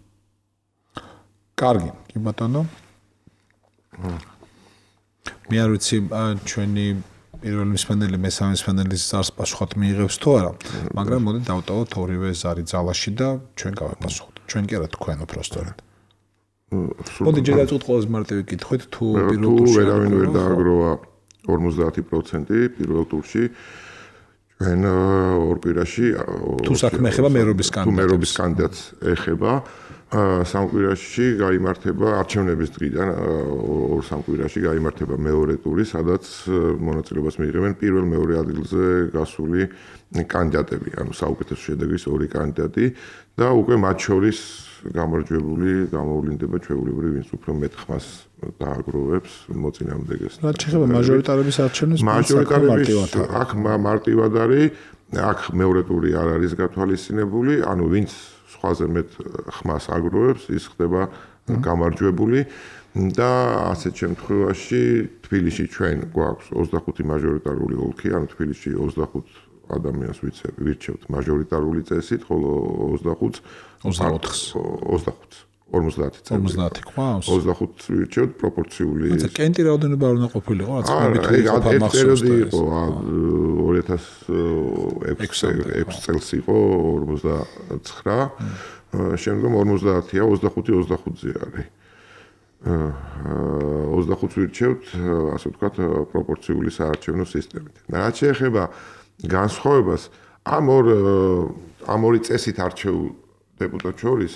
[SPEAKER 2] კარგი, კი ბატონო. მე არ ვიცი ჩვენი პირველი მსმენელი, მესამე მსმენელის ზარს პასუხად მიიღებს თუ არა, მაგრამ მოდი დავტოვოთ ორივე ზარი ძალაში და ჩვენ გავეპასუხოთ. ჩვენ კი არა თქვენ უბრალოდ. მოდი ჯერ დავწუხოთ ყველაზე მარტივი კითხვით, თუ პირველ ტურში
[SPEAKER 3] ვერავინ ვერ დააგროვა ორმოცდაათი პროცენტი პირველ ტურში ჩვენ ორ კვირაში
[SPEAKER 2] თუ საქმე ეხება მერობის კანდიდატს.
[SPEAKER 3] თუ მერობის კანდიდატს ეხება სამ კვირაში გაიმართება არჩევნების დღიდან ორ სამ კვირაში გაიმართება მეორე ტური, სადაც მონაწილეობას მიიღებენ პირველ მეორე ადგილზე გასული კანდიდატები, ანუ საუკეთესო შედეგის ორი კანდიდატი და უკვე მათ შორის გამარჯვებული გამოვლინდება ჩვეულებრივ ვინც უფრო მეტ ხმას დააგროვებს მოწინააღმდეგეს.
[SPEAKER 2] რაც შეეხება მაჟორიტარების არჩევნებს,
[SPEAKER 3] მაჟორიტარების აქ მარტივად არის, აქ მეორე ტური არ არის გათვალისწინებული, ანუ ვინც სხვაზე მეტ ხმას აგროვებს, ის ხდება გამარჯვებული და ასეთ შემთხვევაში თბილისში ჩვენ გვაქვს ოცდახუთი მაჟორიტარული ოლქი, ანუ თბილისში ოცდახუთ ადამიანს ვირჩევთ მაჟორიტარული წესით, ხოლო ოცდახუთს
[SPEAKER 2] ოცდაოთხს
[SPEAKER 3] ოცდახუთს ორმოცდაათი
[SPEAKER 2] ორმოცდაათი ყავს
[SPEAKER 3] ოცდახუთს ვირჩევთ პროპორციული.
[SPEAKER 2] ანუ კენტი რაოდენობა არ უნდა ყოფილიყო, რაც მეთქი
[SPEAKER 3] იყო ორი ათას ექვსი წელს იყო ორმოცდაცხრა, შემდგომ ორმოცდაათია, ოცდახუთი ოცდახუთზე არის. ოცდახუთს ვირჩევთ, ასე ვთქვათ, პროპორციული საარჩევნო სისტემით. რაც შეეხება განსხვავებას ამ ორ ამ ორი წესით არჩეულ დეპუტატ შორის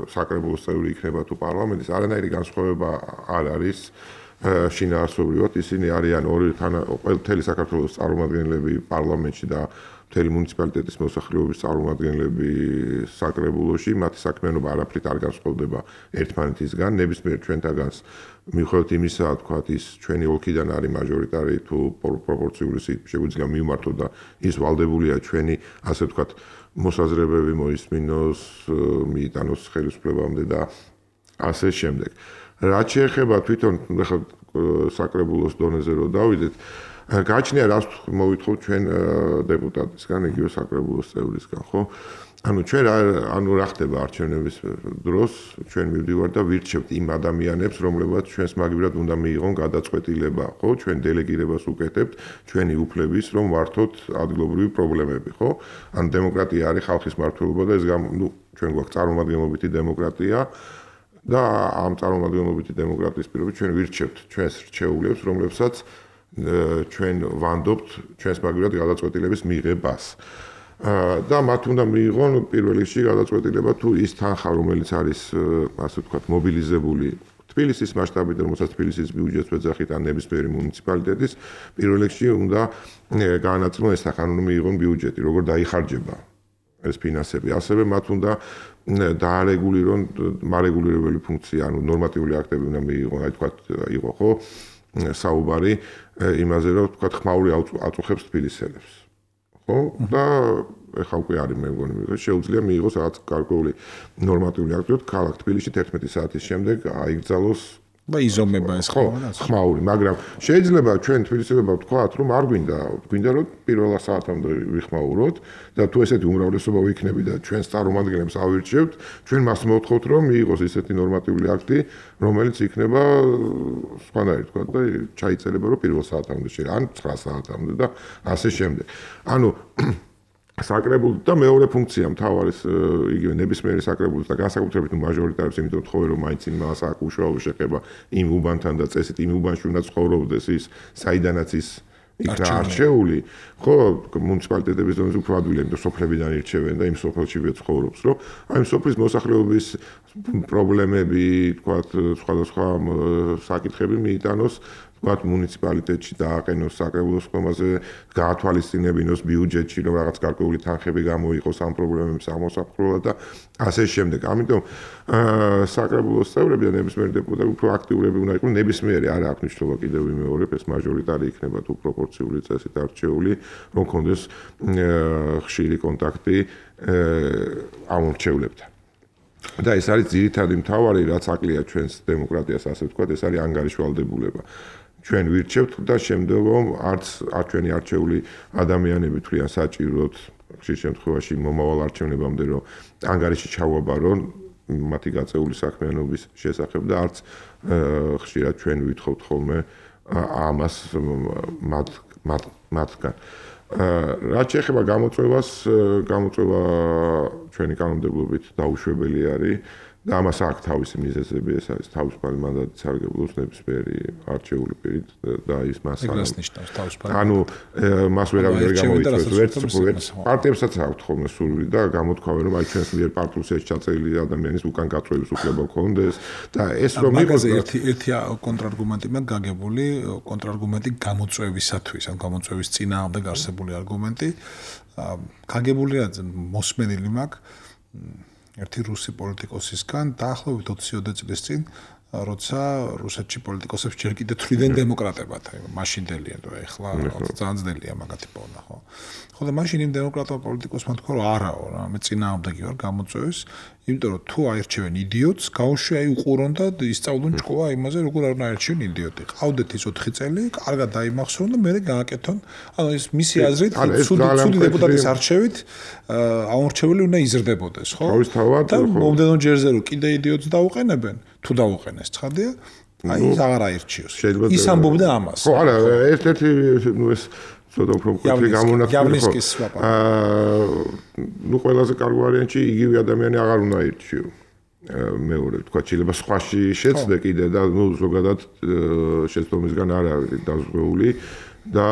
[SPEAKER 3] საკრებულოს წევრი იქნება თუ პარლამენტის, არანაირი განსხვავება არ არის შინაარსობრივად. ისინი არიან ორი მთელი საქართველოს წარმომადგენლები პარლამენტში და მთელი მუნიციპალიტეტის მოსახლეობის წარმომადგენლები საკრებულოში. მათი საქმიანობა არაფრით არ განსხვავდება ერთმანეთისგან. ნებისმიერ ჩვენთაგანს მიუხედავად იმისა, თქვათ, ის ჩვენი ოლქიდან არის მაჟორიტარი თუ პროპორციული შეგვიძლია მივმართოთ და ის ვალდებულია ჩვენი, ასე ვთქვათ, მოსაზრებები მოისმინოს, მიიტანოს ხელისუფლებამდე და ასე შემდეგ. რაც შეეხება თვითონ ახლა საკრებულოს დონეზე რო დავიდეთ, გააჩნია რას მოვითხოვთ ჩვენ დეპუტატისგან, იგივე საკრებულოს წევრისგან, ხო? ანუ ჩვენ ანუ რა ხდება არჩევნების დროს, ჩვენ მივდივართ და ვირჩევთ იმ ადამიანებს, რომლებსაც ჩვენს მაგივრად უნდა მიიღონ გადაწყვეტილება, ხო? ჩვენ დელეგირებას უკეთებთ ჩვენი უფლების, რომ ვართოთ ადგილობრივი პრობლემები, ხო? ანუ დემოკრატია არის ხალხის მმართველობა და ეს ნუ ჩვენ გვაქვს წარმომადგენლობითი დემოკრატია და ამ წარმომადგენლობითი დემოკრატიის პირობებში ჩვენ ვირჩევთ ჩვენს რჩეულებს, რომლებსაც ჩვენ ვანდობთ ჩვენს მაგივრად გადაწყვეტილების მიღებას. და მათ უნდა მიიღონ პირველ რიგში გადაწყვეტილება თუ ის თანხა, რომელიც არის, ასე ვთქვათ, მობილიზებული თბილისის მასშტაბით, რომელსაც თბილისის ბიუჯეტს ვეძახით ან ნებისმიერი მუნიციპალიტეტის, პირველ რიგში უნდა გაანაწილონ ეს თანხა, უნდა მიიღონ ბიუჯეტი, როგორ დაიხარჯება ეს ფინანსები. ასევე მათ უნდა დაარეგულირონ მარეგულირებელი ფუნქცია, ანუ ნორმატიული აქტები უნდა მიიღონ, აი თქვათ, იყო ხო საუბარი იმაზე, რომ თქვათ, ხმაური აწუხებს თბილისელებს. ხო და ეხლა უკვე არის მე მგონი რომ შეუძლია მიიღოს რაღაც გარკვეული ნორმატიული აქტი, რომ ქალაქ თბილისში თერთმეტი საათის შემდეგ აიგზალოს
[SPEAKER 2] და იზომება ეს
[SPEAKER 3] ხო, ხმაური, მაგრამ შეიძლება ჩვენ თბილისელებმა ვთქვათ, რომ არ გვინდა, გვინდა რომ პირველ საათამდე ვიხმაუროთ და თუ ესეთი უმრავლესობა ვიქნები და ჩვენს წარმომადგენლებს ავირჩევთ, ჩვენ მას მოვთხოვთ, რომ მიიღოს ესეთი ნორმატიული აქტი, რომელიც იქნება სხვანაირად თქვა და ჩაიწერება რომ პირველ საათამდე შეიძლება, ან ცხრა საათამდე და ასე შემდეგ. ანუ საკრებულო და მეორე ფუნქცია მთავარის იგივე ნებისმიერი საკრებულოს და განსაკუთრებით მაჟორიტარებს, იმიტომ თხოვე რომ მაინც იმას აქვს უშუალო შეხება იმ უბანთან და წესით იმ უბანში უნდა ცხოვრობდეს ის, საიდანაც ის იქნა არჩეული, ხო, მუნიციპალიტეტების დონეზე უფრო ადვილია, იმიტომ სოფლებიდან ირჩევენ და იმ სოფელში ცხოვრობს, რომ აი იმ სოფლის მოსახლეობის პრობლემები, თქვათ, სხვადასხვა საკითხები მიიტანოს ვთქვათ მუნიციპალიტეტში დააყენოს საკრებულოს ხომაზე, გაათვალისწინებინოს ბიუჯეტში, რომ რაღაც გარკვეული თანხები გამოიყოს ამ პრობლემებს აღმოსაფხვრელად და ასე შემდეგ. ამიტომ საკრებულოს წევრები და ნებისმიერი დეპუტატი უფრო აქტიურები უნდა იყვნენ, ნებისმიერი არ აქვს მნიშვნელობა კიდევ ვიმეორებ, ეს მაჟორიტარი იქნება თუ პროპორციული წესით არჩეული, რომ კონდეს ხშირი კონტაქტი ამ მრჩევლებთან. და ეს არის ძირითადი მთავარი, რაც აკლია ჩვენს დემოკრატიას, ასე ვთქვათ, ეს არის ანგარიშვალდებულება. ჩვენ ვირჩევთ და შემდეგ არც არ ჩვენი არჩეული ადამიანები თვლიან საჭიროდ ხშირ შემთხვევაში მომავალ არჩევნებამდე რომ ანგარიში ჩავაბარონ მათი გაწეული საქმიანობის შესახებ და არც ხშირად ჩვენ ვითხოვთ ხოლმე ამას მათ მათ მათგან. რაც შეეხება გამოწვევას, გამოწვევა ჩვენი კანონმდებლობით დაუშვებელი არის და ამას აქვს თავისი მიზეზები, ეს არის თავისუფალი მანდატის სარგებლობს ნებისმიერი არჩეული პირით და ის მას ანუ მას ვერავინ ვერ გამოიწვევს, ვერც ვერც პარტიებსაც აქვს ხოლმე სურვილი და გამოთქვამენ რომ აი ჩვენს მიერ პარტიულს ჩაწერილი ადამიანის უკან გაწვევის უფლება გქონდეს და ეს რომ
[SPEAKER 2] იყოს ერთი ერთი კონტრარგუმენტი მაქვს გაგებული, კონტრარგუმენტი გამოწვევისათვის, ან გამოწვევის წინააღმდეგ არსებული არგუმენტი გაგებულია მოსმენილი მაქვს ერთი რუსი პოლიტიკოსისგან დაახლოებით ოცი წლის წინ, როცა რუსეთში პოლიტიკოსებს ჯერ კიდევ თვლიდნენ დემოკრატებად, აი მაშინდელია და ეხლა ძალიან ძნელია მაგათი პოვნა, ხო? ხო და მაშინ იმ დემოკრატმა პოლიტიკოსმა თქვა რომ არაო რა, მე წინააღმდეგი ვარ გამოწვევის, იმიტომ რომ თუ აირჩევენ იდიოტს, გაუშვი აი უყურონ და ისწავლონ ჭკუა იმაზე, როგორ არ უნდა აირჩევენ იდიოტი. ყავდეთ ის ოთხი წელი, კარგად დაიმახსოვრონ და მერე გააკეთონ. ანუ ეს მისი აზრით, ცუდი დეპუტატის არჩევით აურჩეველი უნდა იზრდებოდეს, ხო? და მომდენო ჯერზე რომ კიდე იდიოტს დაუყენებენ, თუ დაუყენეს ცხადია, აი ის აღარ აირჩიოს. ის ამბობდა ამას.
[SPEAKER 3] ხო, არა, ერთ-ერთი ნუ ეს ცოტა უფრო მკვეთრი გამონათქვამი ხო. აა ნუ ყველაზე კარგი ვარიანტი იგივე ადამიანი აღარ უნდა აირჩიო. მეორე თქვა შეიძლება სხვაში შეცდე კიდე და ნუ ზოგადად შეცდომისგან არ არის დაზღვეული და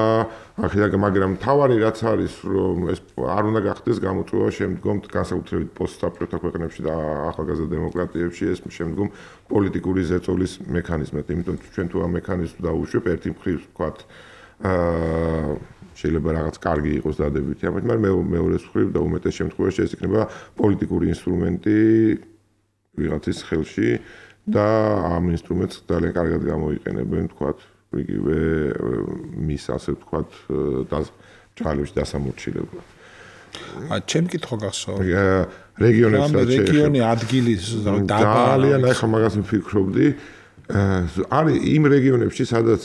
[SPEAKER 3] ახლა მაგრამ თავარი რაც არის რომ ეს არ უნდა გახდეს გამოწვევა შემდგომ განსაკუთრებით პოსტსაბჭოთა ქვეყნებში და ახალგაზრდა დემოკრატიებში ეს შემდგომ პოლიტიკური ზეწოლის მექანიზმად, იმიტომ ჩვენ თუ ამ მექანიზმს დაუშვებ ერთი მხრივ ვთქვათ აა შეიძლება რაღაც კარგი იყოს დადებითი, მაგრამ მეორე მხრივ და უმეტეს შემთხვევაში ეს იქნება პოლიტიკური ინსტრუმენტი ვიღაცის ხელში და ამ ინსტრუმენტს ძალიან კარგად გამოიყენებენ, ვთქვათ, იგივე მის ასე ვთქვათ ჭალებში დასამორჩილებლად.
[SPEAKER 2] ა ჩემ კითხვა გახსოვს.
[SPEAKER 3] რეგიონებს რაც
[SPEAKER 2] რეგიონი ადგილი
[SPEAKER 3] ძალიან ახლა მაგას ვფიქრობდი. არის იმ რეგიონებში, სადაც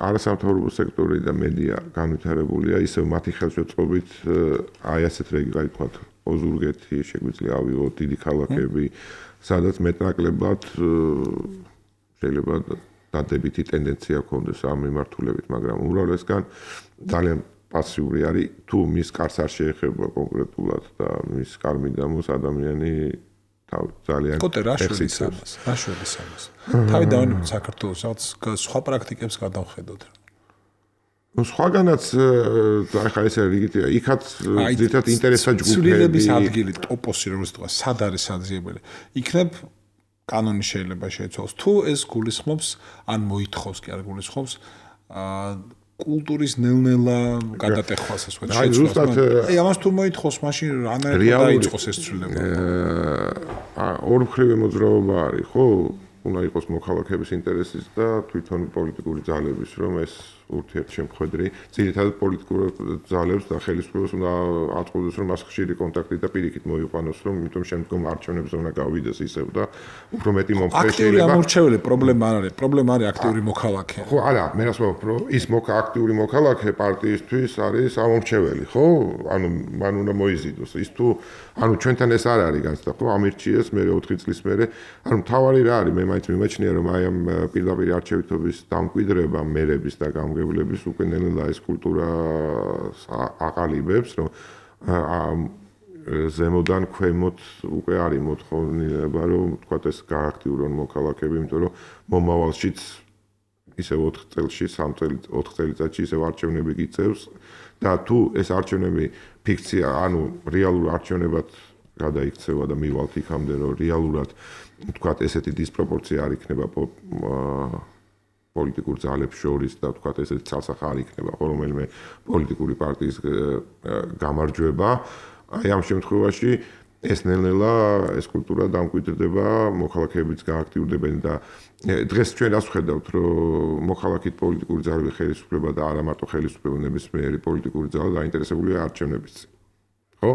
[SPEAKER 3] არასამთავრობო სექტორი და მედია განვითარებულია, ისევ მათი ხელშეწყობით აი ასეთ რეგიონი, თქვათ, ოზურგეთი, შეგვიძლია ავიღოთ დიდი ქალაქები, სადაც მეტნაკლებად შეიძლება დადებითი ტენდენცია გქონდეს ამ მიმართულებით, მაგრამ უმრავლესგან ძალიან პასიური არის, თუ მის კარს არ შეეხება კონკრეტულად და მის კარმიდამოს ადამიანი ძალიან
[SPEAKER 2] ექსის ამას, რაშურის ამას. თავი დავინებოთ საქართველოს, რაღაც სხვა პრაქტიკებს გადავხედოთ.
[SPEAKER 3] ნუ სხვაგანაც ახლა ეს რიგით იქაც ძირითადად ინტერესა ჯგუფები.
[SPEAKER 2] ცვლილების ადგილი, ტოპოსი, როგორც თქვა, სად არის საძიებელი. იქნებ კანონი შეიძლება შეიცვალოს. თუ ეს გულისხმობს, ან მოითხოვს კი არ გულისხმობს, აა კულტურის ნელ-ნელა გადატეხვას ასე ვთქვათ.
[SPEAKER 3] აი ზუსტად
[SPEAKER 2] აი ამას თუ მოითხოვს, მაშინ რანაირად დაიწყოს ეს ცვლილება.
[SPEAKER 3] აა ორმხრივი მოძრაობა არის, ხო? უნდა იყოს მოქალაქეების ინტერესის და თვითონ პოლიტიკური ძალების, რომ ეს ურთიერთშემხედრი. ძირითადად პოლიტიკურ ძალებს და ხელისუფლებას უნდა აწყობდეს, რომ მას ხშირი კონტაქტი და პირიქით მოიყვანოს, რომ იმიტომ შემდგომ არჩევნებზე უნდა გავიდეს ისევ და უფრო მეტი მომხრე შეიძლება.
[SPEAKER 2] აქტიური ამორჩეველი პრობლემა არ არის, პრობლემა არის აქტიური მოქალაქე.
[SPEAKER 3] ხო, არა, მე რას ვამბობ, რომ ის აქტიური მოქალაქე პარტიისთვის არის ამორჩეველი, ხო? ანუ მან უნდა მოიზიდოს. ის თუ ანუ ჩვენთან ეს არ არის განცდა, ხო? ამირჩიეს მე ოთხი წლის მერე. ანუ თავარი რა არის, მე მაინც მიმაჩნია, რომ აი ამ პირდაპირ არჩევითობის დამკვიდრება მერების და გამგებლების უკვე ნელა ეს კულტურა აყალიბებს, რომ ზემოდან ქვემოთ უკვე არის მოთხოვნილება, რომ თქვა ეს გააქტიურონ მოქალაქეები, იმიტომ რომ მომავალშიც ისე ოთხ წელში, სამ წელიწადში, ოთხ წელიწადში ისე არჩევნები გიწევს და თუ ეს არჩევნები ფიქცია, ანუ რეალურ არჩევნებად გადაიქცევა და მივალთ იქამდე, რომ რეალურად თქვა ესეთი დისპროპორცია არ იქნება პოლიტიკურ ძალებს შორის და თქვა ესეთი ცალსახა არ იქნება რომელიმე პოლიტიკური პარტიის გამარჯვება. აი ამ შემთხვევაში ეს ნელ-ნელა ეს კულტურა დამკვიდრდება, მოქალაქეებიც გააქტიურდებენ და დღეს ჩვენ რას ვხედავთ, რომ მოქალაქით პოლიტიკური ძალები ხელისუფლება და არა მარტო ხელისუფლება, ნებისმიერი პოლიტიკური ძალა დაინტერესებულია არჩევნების. ხო?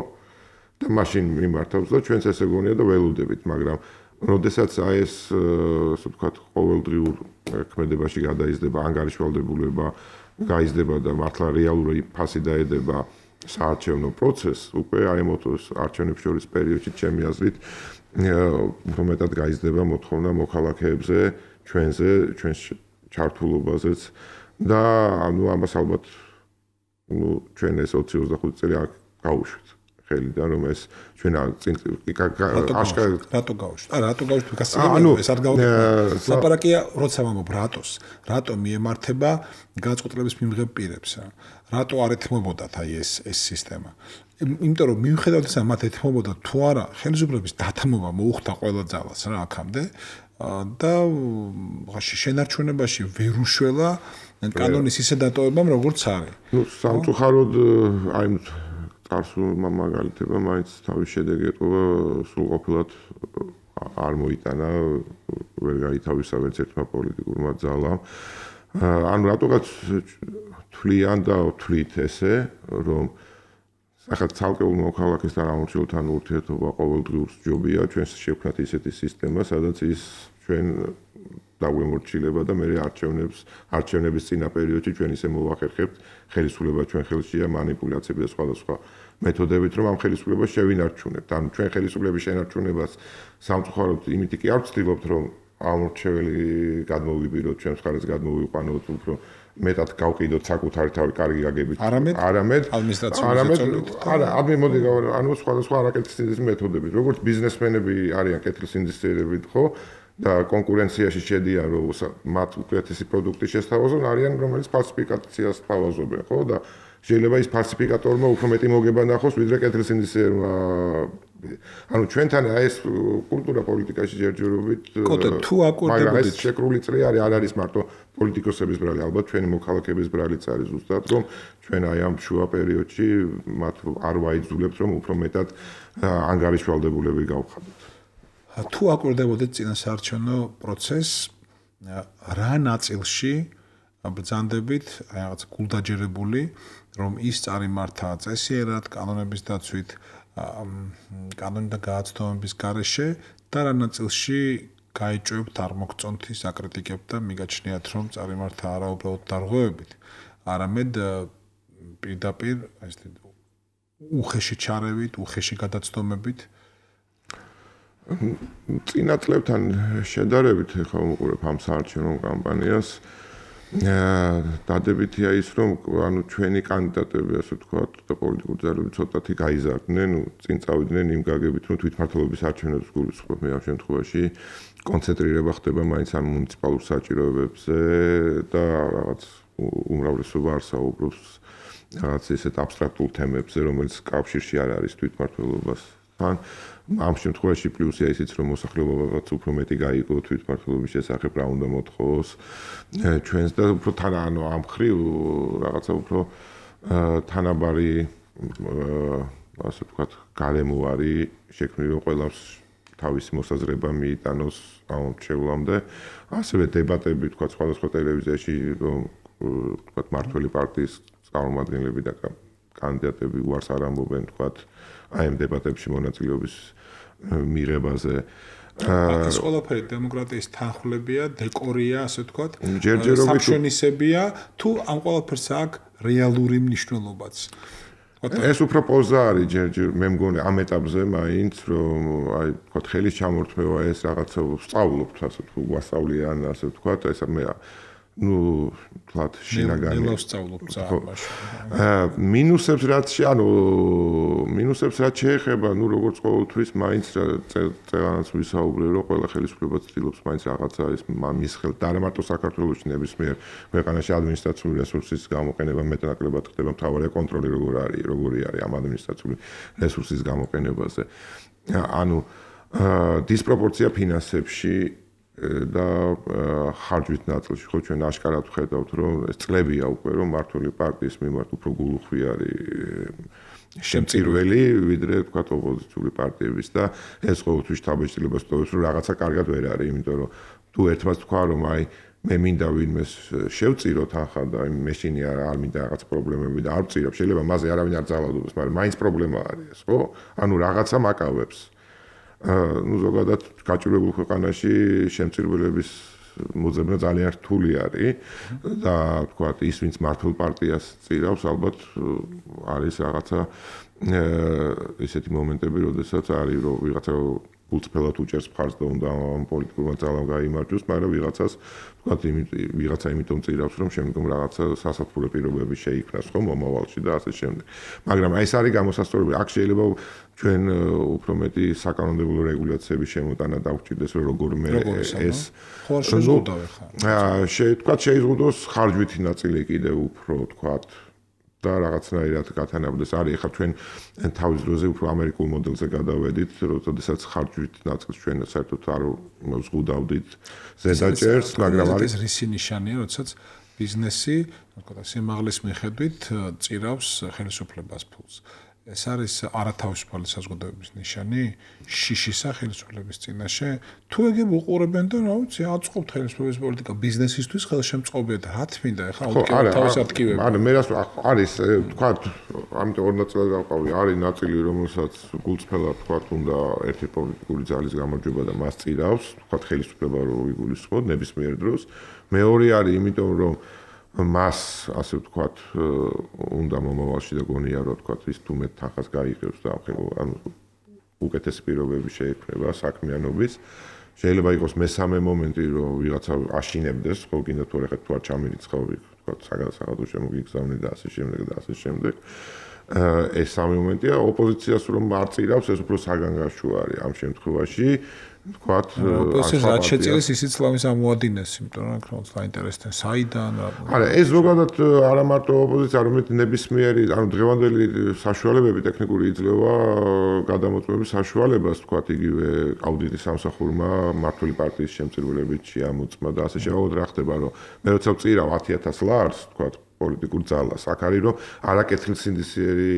[SPEAKER 3] და მაშინ მიმართავს და ჩვენც ესე გონია და ველოდებით, მაგრამ როდესაც აი ეს ასე ვთქვათ, ყოველდღიურ ქმედებაში გადაიზრდება ანგარიშვალდებულება, გაიზრდება და მართლა რეალური ფასი დაედება საარჩევნო პროცესს, უკვე აი მოთოს არჩევნებს შორის პერიოდში ჩემი აზრით უფრო მეტად გაიზრდება მოთხოვნა მოქალაქეებზე, ჩვენზე, ჩვენს ჩართულობაზეც და ანუ ამას ალბათ ნუ ჩვენ ეს ოცი ოცდახუთი წელი გავუშვით. ხელიდან რომ ეს ჩვენ აშკარად
[SPEAKER 2] რატო გავუშვით? ა რატო გავუშვით? გასაგებია ეს არ გავუშვით. ლაპარაკია როცა ვამბობ რატოს? რატო მიემართება განწყობილების მიმღებ პირებს? რატო არ ეთმობოდათ აი ეს ეს სისტემა? იმიტომ რომ მიუხედავად ისა მათ ეთმობოდა თუ არა ხელისუფლების დათმობა მოუხდა ყველა ძალას რა აქამდე და შენარჩუნებაში ვერ უშველა კანონის ისე დატოვებამ როგორც არის.
[SPEAKER 3] ნუ სამწუხაროდ აი წარსულმა მაგალითებმა მაინც თავის შედეგი ეტყობა სრულყოფილად არ მოიტანა ვერ გაითავისა ვერც ერთმა პოლიტიკურმა ძალამ. ანუ რატოღაც თვლიან და თვლით ესე რომ ახლა ცალკეულ მოქალაქესთან ამორჩეულთან ურთიერთობა ყოველდღიურ ჯობია ჩვენს შევქმნათ ისეთი სისტემა სადაც ის ჩვენ დაგვემორჩილება და მე არჩევნებს არჩევნების წინა პერიოდში ჩვენ ისე მოვახერხებთ ხელისუფლება ჩვენ ხელშია მანიპულაციები და სხვადასხვა მეთოდებით რომ ამ ხელისუფლებას შევინარჩუნებთ. ანუ ჩვენ ხელისუფლების შენარჩუნებას სამწუხაროდ იმით კი არ ვცდილობთ რომ ამორჩეველი გადმოვიბიროთ ჩვენს ხარეს გადმოვიყვანოთ უფრო მეტად გავყიდოთ საკუთარი თავი კარგი გაგებით.
[SPEAKER 2] არამედ
[SPEAKER 3] არამედ
[SPEAKER 2] ადმინისტრაციული ზეწოლით.
[SPEAKER 3] არა, ადმი მოდი ანუ სხვადასხვა არაკეთილსინდისის მეთოდებით. როგორც ბიზნესმენები არიან კეთილსინდისიერებით, ხო? და კონკურენციაში შედიან რომ მათ უკეთესი პროდუქტი შესთავაზონ, არიან რომელიც ფალსიფიკაციას თავაზობენ, ხო? და შეიძლება ის ფალსიფიკატორმა უფრო მეტი მოგება ნახოს, ვიდრე კეთილსინდისიერმა. ანუ ჩვენთან აი ეს კულტურა პოლიტიკაში ჯერჯერობით
[SPEAKER 2] კოტე თუ აკორდებოდით
[SPEAKER 3] ეს შეკრული წრე არის, არ არის მარტო პოლიტიკოსების ბრალი, ალბათ ჩვენი მოქალაქეების ბრალიც არის ზუსტად, რომ ჩვენ აი ამ შუა პერიოდში მათ არ ვაიძულებთ, რომ უფრო მეტად ანგარიშვალდებულები გავხადოთ.
[SPEAKER 2] თუ აკორდებოდით წინასაარჩევნო პროცესს, რა ნაწილში ბრძანდებით აი რაღაც გულდაჯერებული, რომ ის წარიმართა წესიერად, კანონების დაცვით, კანონთა გააცნობის გარეშე და რა ნაწილში გაიჭვებთ არ მოგწონთ ის აკრიტიკებთ და მიგაჩნიათ რომ წარიმართა არა უბრალოდ დარღვევებით, არამედ პირდაპირ აი ეს უხეში ჩარევით, უხეში გადაცდომებით.
[SPEAKER 3] წინა წლებთან შედარებით ხა უყურებ ამ საარჩევნო კამპანიას დადებითია ის რომ ანუ ჩვენი კანდიდატები ასე ვთქვათ და პოლიტიკური ძალები ცოტათი გაიზარდნენ, ნუ წინ წავიდნენ იმ გაგებით რომ თვითმმართველობის არჩევნებს გულისხმობ მე ამ შემთხვევაში კონცენტრირება ხდება მაინც ამ მუნიციპალურ საჭიროებებზე და რაღაც უმრავლესობა არ საუბრობს რაღაც ისეთ აბსტრაქტულ თემებზე, რომელიც კავშირში არ არის თვითმმართველობასთან. ამ შემთხვევაში პლუსია ისიც რომ მოსახლეობაც უფრო მეტი გაიგო თვითმმართველობის შესახებ რა უნდა მოთხოვოს ჩვენს და უფრო თან ანუ ამ ხრივ რაღაცა უფრო თანაბარი ასე ვთქვათ გარემოარი შექმნილი რომ ყველას თავისი მოსაზრება მიიტანოს ამ შევლამდე ასევე დებატები ვთქვათ სხვადასხვა ტელევიზიაში რომ თქვათ მართველი პარტიის წარმომადგენლები და კანდიდატები უარს არ ამბობენ თქვათ აი ამ დებატებში მონაწილეობის მიღებაზე.
[SPEAKER 2] ეს ყველაფერი დემოკრატიის თანხმლებია, დეკორია, ასე ვთქვათ, სამშვენისებია, თუ ამ ყველაფერს აქვს რეალური მნიშვნელობაც.
[SPEAKER 3] ეს უფრო პოზა არის ჯერჯერ მე მგონი ამ ეტაპზე მაინც რომ აი თქვათ ხელის ჩამორთმევა ეს რაღაცა ვსწავლობთ ასე თუ ვასწავლიან ასე ვთქვათ ეს მე ну თქვათ შინაგანი
[SPEAKER 2] მე ვსწავლობ ზამაში
[SPEAKER 3] მინუსებს რაც ანუ მინუსებს რაც შეეხება ну როგორც ყოველთვის მაინც წელანაც ვისაუბრე რომ ყველა ხელისუფლება ცდილობს მაინც რაღაცა ის მის ხელთ და არა მარტო საქართველოს ნებისმიერ ქვეყანაში ადმინისტრაციული რესურსის გამოყენება მეტნაკლებად ხდება მთავარი კონტროლი როგორ არის როგორი არის ამ ადმინისტრაციული რესურსის გამოყენებაზე ანუ დისპროპორცია ფინანსებში და ხარჯვით ნაწილში ხო ჩვენ აშკარად ვხედავთ რომ ეს წლებია უკვე რომ მართული პარტიის მიმართ უფრო გულუხვი არის შემწირველი ვიდრე თქვა ოპოზიციური პარტიების და ეს ყოველთვის შთაბეჭდილებას ტოვებს რომ რაღაცა კარგად ვერ არის იმიტომ რომ თუ ერთმანეთს თქვა რომ აი მე მინდა ვინმეს შევწიროთ ახლა და მეშინი არ მინდა რაღაც პრობლემები და არ ვწირებ შეიძლება მასე არავინ არ ძალადობს მაგრამ მაინც პრობლემა არის ხო ანუ რაღაცა მაკავებს ну ზოგადად გაჭირებულ ქვეყანაში შემწირველების მოძებნა ძალიან რთული არის და თქვა ის ვინც მართულ პარტიას წირავს ალბათ არის რაღაცა ესეთი მომენტები როდესაც არის რომ ვიღაცა გულწრფელად უჭერს მხარს და უნდა ამ პოლიტიკურმა ძალამ გაიმარჯვოს მაგრამ ვიღაცას თქვა ვიღაცა იმიტომ წირავს რომ შემდგომ რაღაცა სასათბურო პირობები შეიქმნას ხო მომავალში და ასე შემდეგ მაგრამ აი ეს არის გამოსასწორებელი აქ შეიძლება ჩვენ უფრო მეტი საკანონმდებლო რეგულაციების შემოტანა დაგვჭირდეს რომ როგორმე ეს
[SPEAKER 2] ხო შეზღუდავ
[SPEAKER 3] ხა თქვა შეიზღუდოს ხარჯვითი ნაწილი კიდე უფრო თქვა და რაღაცნაირად გათანაბრდეს არის ახლა ჩვენ თავის დროზე უფრო ამერიკულ მოდელზე გადავედით როდესაც ხარჯვით ნაწილს ჩვენ საერთოდ არ ვზღუდავდით ზედაჭერს მაგრამ არის
[SPEAKER 2] ეს რისი ნიშანია როდესაც ბიზნესი თქო სიმაღლის მიხედვით წირავს ხელისუფლებას ფულს ეს არის არათავისუფალი საზოგადოების ნიშანი შიშის ხელისუფლების წინაშე თუ ეგ უყურებენ და რა ვიცი აწყობთ ხელისუფლების პოლიტიკა ბიზნესისთვის ხელშემწყობია და რა თმინდა ეხლა უთქვა თავის ატკივება
[SPEAKER 3] ანუ მე რას არის თქვა ამიტომ ორ ნაწილად გავყავი არის ნაწილი რომელსაც გულწრფელად თქვა უნდა ერთი პოლიტიკური ძალის გამარჯვება და მას წირავს თქვა ხელისუფლება რო იგულისხმოთ ნებისმიერ დროს მეორე არის იმიტომ რომ მას ასე ვთქვათ უნდა მომავალში და გონია რომ ვთქვათ ის თუ მე თანხას გაიღებს და ანუ უკეთესი პირობები შეექმნება საქმიანობის შეიძლება იყოს მესამე მომენტი რომ ვიღაცა აშინებდეს ხო კიდე თუ რა თუ არ ჩამირიცხავ ვთქვათ საგადასაღადო შემოგიგზავნე და ასე შემდეგ და ასე შემდეგ ეს სამი მომენტია ოპოზიციას რომ არ წირავს ეს უფრო საგანგაშო არის ამ შემთხვევაში ვთქვათ
[SPEAKER 2] ოპოზიცია რაც შეწირეს ისიც ლამის ამოადინეს იმიტომ რომ ქრონს დაინტერესდნენ საიდან
[SPEAKER 3] არა ეს ზოგადად არა მარტო ოპოზიცია არამედ ნებისმიერი ანუ დღევანდელი საშუალებები ტექნიკური იძლევა გადამოწმების საშუალებას ვთქვათ იგივე აუდიტის სამსახურმა მართული პარტიის შემწირველებით შეამოწმა და ასე შეავად რა ხდება რომ მე როცა ვწირავ ათი ათას ლარს ვთქვათ პოლიტიკურ ძალას აქ არის რომ არაკეთილსინდისიერი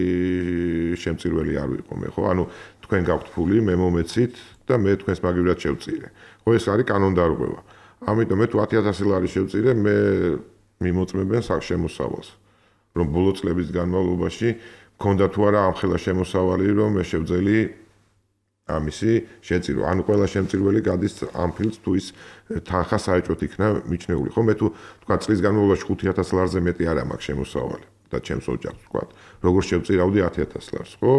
[SPEAKER 3] შემწირველი არ ვიყო მე ხო ანუ თქვენ გაქვთ ფული მე მომეცით და მე თქვენს მაგივრად შევწირე. ხო ეს არის კანონდარღვევა. ამიტომ მე თუ ათი ათასი ლარი შევწირე, მე მიმოწმებენ შემოსავალს. რომ ბოლო წლების განმავლობაში მქონდა თუ არა ამ ხელა შემოსავალი, რომ მე შევძელი ამისი შეწირო. ანუ ყველა შემწირველი გადის ამ ფილს თუ ის თანხა საერთოდ იქნა მიჩნეული. ხო მე თუ თქვა წლის განმავლობაში ხუთი ათას ლარზე მეტი არ მაქვს შემოსავალი და ჩემს ოჯახს თქვა. როგორ შევწირავდი ათი ათას ლარს, ხო?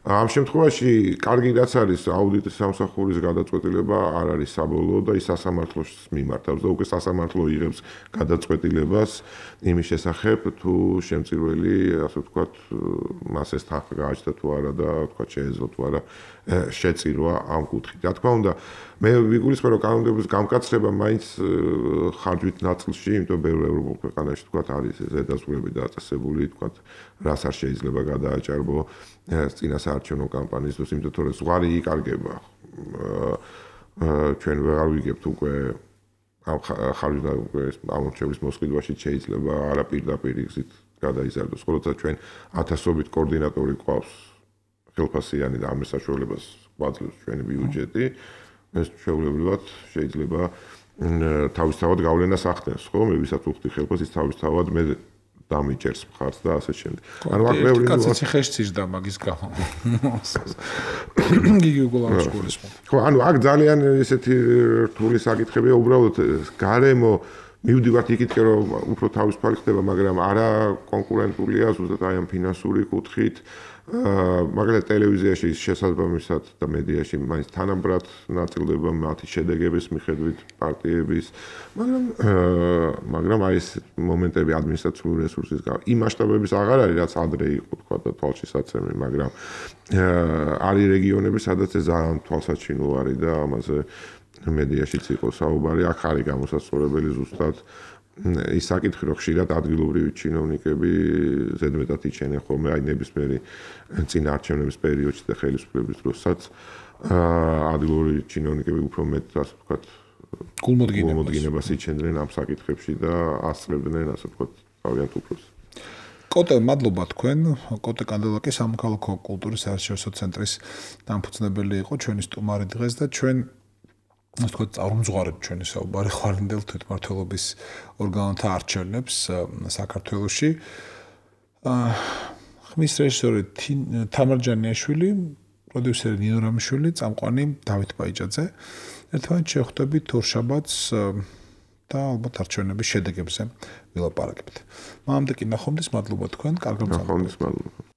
[SPEAKER 3] ამ შემთხვევაში კარგი რაც არის აუდიტის სამსახურის გადაწყვეტილება არ არის საბოლოო და ის სასამართლოს მიმართავს და უკვე სასამართლო იღებს გადაწყვეტილებას იმის შესახებ თუ შემწირველი ასე ვთქვათ მას ეს თანხა გააჩნდა თუ არა და ვთქვათ შეეძლო თუ არა შეწირვა ამ კუთხით. რა თქმა უნდა მე ვიგულისხმე რომ კანონმდებლობის გამკაცრება მაინც ხარჯვით ნაწილში იმიტომ ბევრ ევროპულ ქვეყანაში ვთქვათ არის ზედაზღვრები დაწესებული ვთქვათ რას არ შეიძლება გადააჭარბო წინასაარჩევნო კამპანიის დროს იმიტომ რომ ზღვარი იკარგება ჩვენ ვეღარ ვიგებთ უკვე ამ ხარჯვით უკვე ამორჩევის მოსყიდვაში შეიძლება არა პირდაპირ გზით გადაიზარდოს ხოლო ჩვენ ათასობით კოორდინატორი ყავს ხელფასიანი და ამ საშუალებას გვაძლევს ჩვენი ბიუჯეტი ეს შეუძლებლად შეიძლება თავისთავად გავლენას ახდენს, ხო? მე ვისაც უხდი ხელფას, ის თავისთავად მე დამიჭერს მხარს და ასე შემდეგ.
[SPEAKER 2] ანუ აქ მეორე კაცი ხეშს იზრდა მაგის გამო. გიგი გულარის სკოლის.
[SPEAKER 3] ხო, ანუ აქ ძალიან ესეთი რთული საკითხებია, უბრალოდ გარემო მივდივართ იქით, რომ უფრო თავისუფალი ხდება, მაგრამ არა კონკურენტულია, ზუსტად აი ამ ფინანსური კუთხით. მაგალითად ტელევიზიაში შესაძლებლობისად და მედიაში მაინც თანაბრად ნაწილდება მათი შედეგების მიხედვით პარტიების, მაგრამ მაგრამ აი ეს მომენტები ადმინისტრაციული რესურსის გამო იმ მასშტაბების აღარ არის, რაც ადრე იყო თქვა და თვალშისაცემი, მაგრამ არის რეგიონები, სადაც ეს ძალიან თვალსაჩინო არის და ამაზე მედიაშიც იყო საუბარი, აქ არის გამოსაცდელი ზუსტად ის საკითხი, რომ ხშირად ადგილობრივი ჩინოვნიკები ზედმეტად იჩენენ ხოლმე აი ნებისმიერი წინაარჩევნების პერიოდში და ხელისუფლების დროსაც ადგილობრივი ჩინოვნიკები უფრო მეტ, ასე ვთქვათ, გულმოდგინებას იჩენდნენ ამ საკითხებში და ასწრებდნენ, ასე ვთქვათ, თავიანთ უფლებს.
[SPEAKER 2] კოტე, მადლობა თქვენ. კოტე კანდელაკი სამოქალაქო კულტურის საერთაშორისო ცენტრის დამფუძნებელი იყო ჩვენი სტუმარი დღეს და ჩვენ ასე ვთქვათ, წარმზღვარეთ ჩვენი საუბარი ხვალინდელ თვითმმართველობის ორგანოთა არჩევნებს საქართველოში. ხმის რეჟისორი თამარ ჯანიაშვილი, პროდიუსერი ნინო რამიშვილი, წამყვანი დავით ბაიჭაძე. ერთმანეთს შევხვდებით ორშაბათს და ალბათ არჩევნების შედეგებზე ვილაპარაკებთ. მანამდე კი ნახვამდის, მადლობა თქვენ, კარგ
[SPEAKER 3] მოგესალმებით. მადლობა.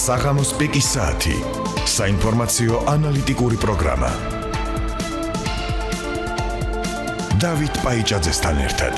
[SPEAKER 1] საღამოს პიკის საათი. საინფორმაციო ანალიტიკური პროგრამა. დავით ბაიჭაძესთან ერთად.